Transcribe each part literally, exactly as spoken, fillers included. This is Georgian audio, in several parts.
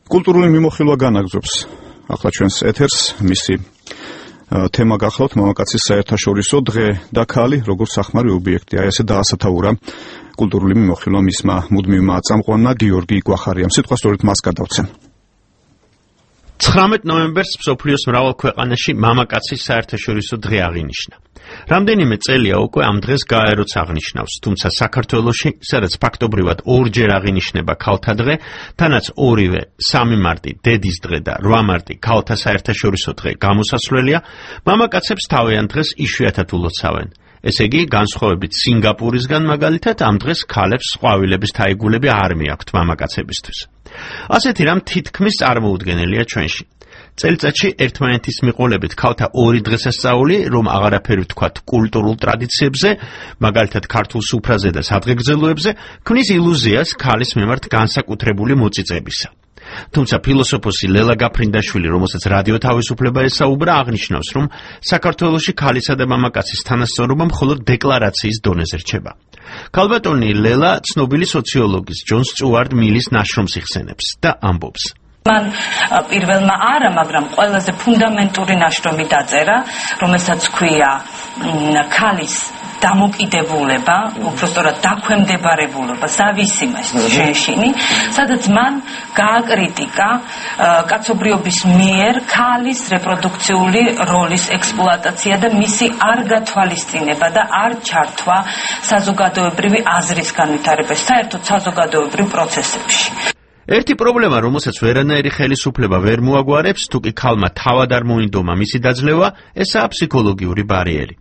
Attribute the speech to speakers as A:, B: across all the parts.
A: კულტურული მიმოხილვა განაგრძობს ახლა ჩვენს ეთერს მისი თემა გახლავთ მამაკაცის საერთაშორისო დღე და ქალი როგორც სახმარი ობიექტი. აი ესე დაასათაურა კულტურული მიმოხილვა მისმა მუდმივმა წამყვანმა გიორგი გვახარიამ. სიტყვა სწორედ მას გადავცემ.
B: ცხრამეტ ნოემბერს მსოფლიოს მრავალ ქვეყანაში მამაკაცის საერთაშორისო დღე აღინიშნა. რამდენიმე წელია უკვე ამ დღეს გაეროც აღნიშნავს, თუმცა საქართველოში, სადაც ფაქტობრივად ორჯერ აღინიშნება ქალთა დღე, თანაც ორივე სამი მარტი დედის დღე და რვა მარტი ქალთა საერთაშორისო დღე გამოსასვლელია, მამაკაცებს თავიანთ დღეს იშვიათად ულოცავენ. ესე იგი, განსხვავებით სინგაპურისგან მაგალითად, ამ დღეს ქალებს ყვავილების თაიგულები არ მიაქვთ მამაკაცებისთვის. ასეთი რამ თითქმის წარმოუდგენელია ჩვენში. წელიწადში ერთმანეთის მიყოლებით ქალთა ორი დღესასწაული, რომ აღარაფერი ვთქვათ კულტურულ ტრადიციებზე, მაგალითად ქართულ სუფრაზე და სადღეგრძელოებზე, ქმნის ილუზიას ქალის მიმართ განსაკუთრებული მოწიწებისა. თუმცა ფილოსოფოსი ლელა გაფრინდაშვილი, რომელსაც რადიო თავისუფლება ესაუბრა, აღნიშნავს, რომ საქართველოში ქალისა და მამაკაცის თანასწორობა მხოლოდ დეკლარაციის დონეზე რჩება. ქალბატონი ლელა ცნობილი სოციოლოგის ჯონ სტიუარტ მილის ნაშრომს იხსენებს და ამბობს.
C: მან პირველმა არა, მაგრამ ყველაზე ფუნდამენტური ნაშრომი დაწერა, რომელსაც ქვია ქალის დამოკიდებულება, უბრალოდ დაქვემდებარებულობა, зависимость женщины, სადაც მან გააკრიტიკა კაცობრიობის მიერ ქალის რეპროდუქციული როლის ექსპლუატაცია და მისი არ გათვალისწინება და არ ჩართვა საზოგადოებრივი აზრის განვითარებას, საერთოდ საზოგადოებრივ პროცესებში.
B: ერთი პრობლემა, რომელსაც ვერანაირი ხელისუფლება ვერ მოაგვარებს, თუკი ქალმა თავად არ მოინდომა მისი დაძლევა, ესაა ფსიქოლოგიური ბარიერი.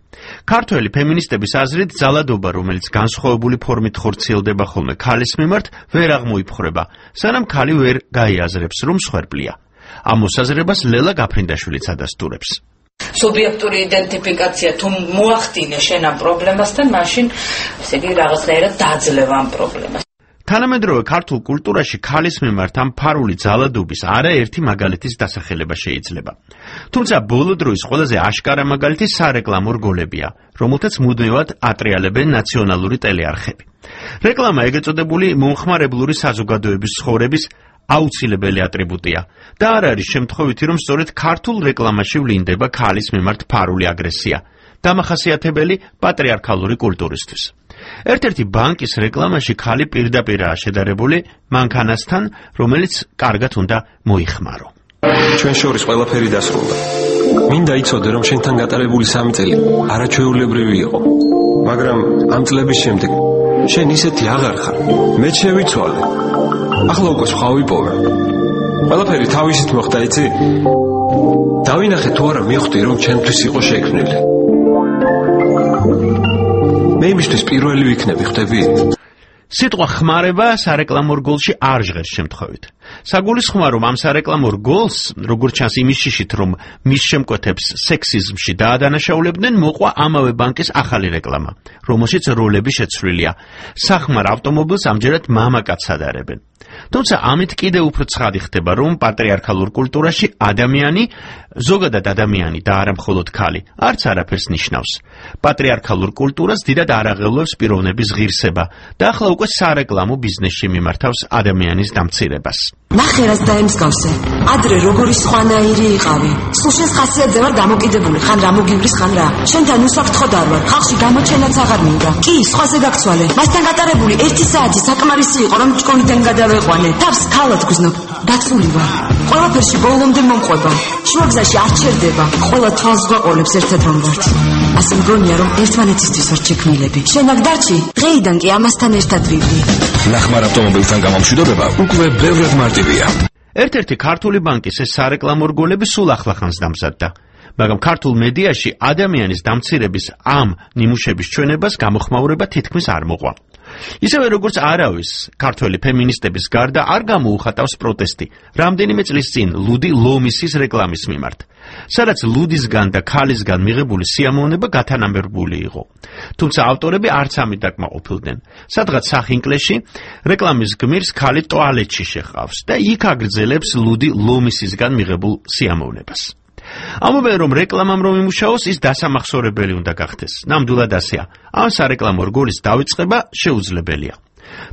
B: ქართველი ფემინისტების აზრით, ძალადობა, რომელიც განსხვავებული ფორმით ხორციელდება ხოლმე ქალის მიმართ, ვერ აღმოიფხრება, სანამ ქალი ვერ გაიაზრებს, რომ მსხვერპლია. ამ მოსაზრებას ლელა გაფრინდაშვილიც ადასტურებს.
C: სუბიექტური იდენტიფიკაცია თუ მოახდინე შენ ამ პრობლემასთან, მაშინ ესე იგი რაღაცნაირად დაძლევ ამ პრობლემას.
B: თანამედროვე ქართულ კულტურაში ქალის მიმართ ამ ფარული ძალადობის არაერთი მაგალითის დასახელება შეიძლება. თუმცა ბოლო დროის ყველაზე აშკარა მაგალითი სარეკლამო რგოლებია, რომელთაც მუდმივად ატრიალებენ ნაციონალური ტელეარხები. რეკლამა ეგრეთ წოდებული მომხმარებლური საზოგადოების ცხოვრების აუცილებელი ატრიბუტია და არ არის შემთხვევითი, რომ სწორედ ქართულ რეკლამაში ვლინდება ქალის მიმართ ფარული აგრესია, დამახასიათებელი პატრიარქალური კულტურისთვის. ერთ-ერთი ბანკის რეკლამაში ქალი პირდაპირაა შედარებული მანქანასთან, რომელიც კარგად უნდა მოიხმარო.
D: ჩვენ შორის ყველაფერი დასრულდა. მინდა იცოდე, რომ შენთან გატარებული სამი წელი არაჩვეულებრივი იყო. მაგრამ ამ წლების შემდეგ შენ ისეთი აღარ ხარ. მე შევიცვალე. ახლა უკვე სხვა ვიპოვე. ყველაფერი თავისით მოხდა, იცი? დავინახე თუ არა მივხვდი, რომ ჩემთვის იყო შექმნილი. მე იმისთვის პირველი ვიქნები, ხვდები?
B: სიტყვა ხმარება სარეკლამო რგოლში არ ჟღერს შემთხვევით. საგულისხმოა, რომ ამ სარეკლამო რგოლს, როგორც ჩანს იმის შიშით, რომ მის შემკვეთებს სექსიზმში დაადანაშაულებდნენ, მოყვა ამავე ბანკის ახალი რეკლამა, რომელშიც როლები შეცვლილია. სახმარ ავტომობილს ამჯერად მამაკაცს ადარებენ. თუმცა ამით კიდევ უფრო ცხადი ხდება, რომ პატრიარქალურ კულტურაში ადამიანი, ზოგადად ადამიანი და არა მხოლოდ ქალი, არც არაფერს ნიშნავს. პატრიარქალურ კულტურას დიდად არ აღელვებს პიროვნების ღირსება და ახლა უკვე სარეკლამო ბიზნესში მიმართავს ადამიანის დამცირებას.
E: ნახე რას დაემსგავსე. ადრე როგორი სხვანაირი იყავი. სულ შენს ხასიათზე ვარ დამოკიდებული, ხან რა მოგივლის, ხან რა. შენთან უსაფრთხოდ არ ვარ. ხალხში გამოჩენაც აღარ მინდა. კი, სხვაზე გაგცვალე. მასთან გატარებული ერთი საათი საკმარისი იყო, რომ ჭკონიდან გადავეყვანე. თავს ქალად გზნობ. დაცული ვარ. ყველაფერში ბოლომდე მომყვება. შუაგზაში არ ჩერდება. ყველა თვალს გვაყოლებს ერთად რომ ვართ. ასე მგონია, რომ ერთმანეთისთვის ვართ შექმნილები. შენ აქ დარჩი, დღეიდან კი ამასთან ერთად ვივდი.
D: ნახმარ ავტომობილთან გამომშვიდობება უკვე ბევრად მარტივია.
B: ერთ-ერთი ქართული ბანკის ეს სარეკლამო რგოლები სულ ახლახანს დამზადდა. მაგრამ ქართულ მედიაში ადამიანის დამცირების ამ ნიმუშების ჩვენებას გამოხმაურება თითქმის არ მოყვა. ისევე როგორც არავის ქართველი ფემინისტების გარდა არ გამოუხატავს პროტესტი რამდენიმე წლის წინ ლუდი ლომისის რეკლამის მიმართ, სადაც ლუდისგან და ქალისგან მიღებული სიამოვნება გათანამერბული იყო. თუმცა ავტორები არც ამით დაკმაყოფილდნენ. სადღაც სახინკლეში რეკლამის გმირს ქალი ტუალეტში შეჰყავს და იქ აგრძელებს ლუდი ლომისისგან მიღებულ სიამოვნებას. ამობენ, რომ რეკლამამ რომ იმუშაოს, ის დასამახსოვრებელი უნდა გახდეს. ნამდვილად ასეა. ამ სარეკლამო რგოლის დავიწყება შეუძლებელია.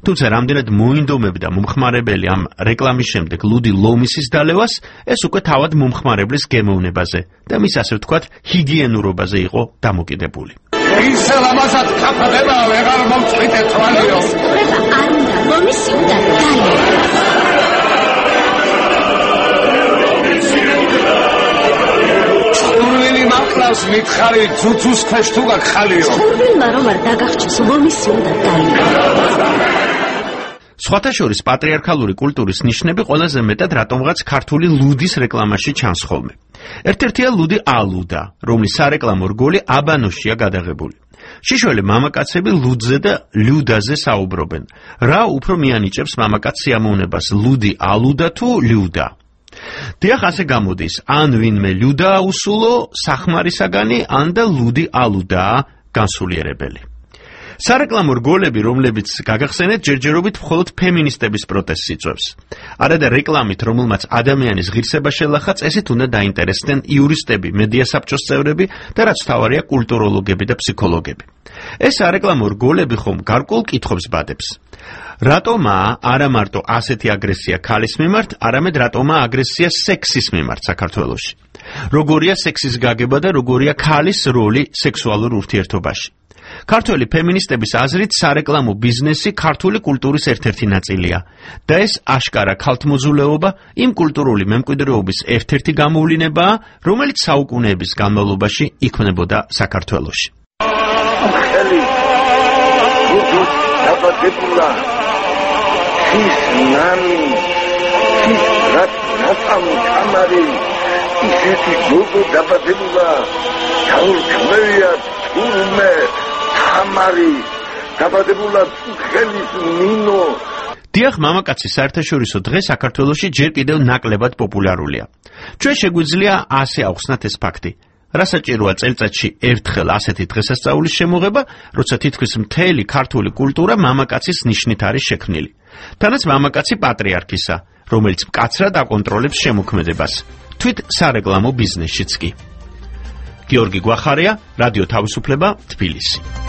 B: თუმცა რამდენად მოინდომებდა მომხმარებელი ამ რეკლამის შემდეგ ლუდი ლომისის დალევას, ეს უკვე თავად მომხმარებლის გემოვნებაზე და მის ასე ვთქვათ ჰიგიენურობაზე იყო დამოკიდებული.
F: ისე ლამაზად კაფედება ვეღარ მომწვიდე თვალიო.
G: ხება არ უნდა ლომისი უნდა დალევა.
F: ჩხურვილი მақლავს მითხარი ძუძუს ქვეშ თუ გაგხალიო.
G: ჩხურვილმა რომ არ დაგახჭეს ლომისი უნდა დალევა.
B: სხვათა შორის პატრიარქალური კულტურის ნიშნები ყველაზე მეტად რატომღაც ქართული ლუდის რეკლამაში ჩანს ხოლმე. ერთ-ერთია ლუდი ალუდა, რომლის სარეკლამო რგოლი აბანოშია გადაღებული. შიშველი მამაკაცები ლუდზე და ლიუდაზე საუბრობენ. რა უფრო მიანიჭებს მამაკაც სიამოვნებას, ლუდი ალუდა თუ ლიუდა? დიახ, ასე გამოდის, ან ვინმე ლიუდა უსულო სახმარისაგანი, ან და ლუდი ალუდაა განსულიერებელი. სარეკლამო რგოლები, რომლებიც გაგახსენეთ, ჯერჯერობით მხოლოდ ფემინისტების პროტესტს იწვევს. არა და რეკლამით, რომელმაც ადამიანის ღირსება შელახა, წესით უნდა დაინტერესდნენ იურისტები, მედია საბჭოს წევრები და რაც თავარია კულტუროლოგები და ფსიქოლოგები. ეს სარეკლამო რგოლები ხომ გარკვეულ კითხვებს ბადებს. რატომაა არა მარტო ასეთი აგრესია ქალის მიმართ, არამედ რატომაა აგრესია სექსის მიმართ საქართველოში? როგორია სექსის გაგება და როგორია ქალის როლი სექსუალურ ურთიერთობაში? ქართველი ფემინისტების აზრით სარეკლამო ბიზნესი ქართული კულტურის ერთ-ერთი ნაწილია და ეს აშკარა ქალთმოძულეობა იმ კულტურული მემკვიდრეობის ერთ-ერთი გამოვლინებაა, რომელიც საუკუნეების განმავლობაში იქმნებოდა საქართველოში.
F: ხელი გუგუს დაბადებულა ის ნამი ის რაც ნაცამი კამარი ისეთი გუგუ დაბადებულა თავრქმეა თურმე ამარი დაბადებულა ხელის მინო.
B: დიახ, მამაკაცი საერთაშორისო დღე საქართველოში ჯერ კიდევ ნაკლებად პოპულარულია. ჩვენ შეგვიძლია ასე ავხსნათ ეს ფაქტი. რა საჭიროა წელიწადში ერთხელ ასეთი დღესასწაულის შემოღება, როცა თითქმის მთელი ქართული კულტურა მამაკაცის ნიშნით არის შექმნილი. თანაც მამაკაცი პატრიარქისა, რომელიც მკაცრად აკონტროლებს შემოქმედებას, თვით სარეკლამო ბიზნესშიც კი. გიორგი გვახარია, რადიო თავისუფლება, თბილისი.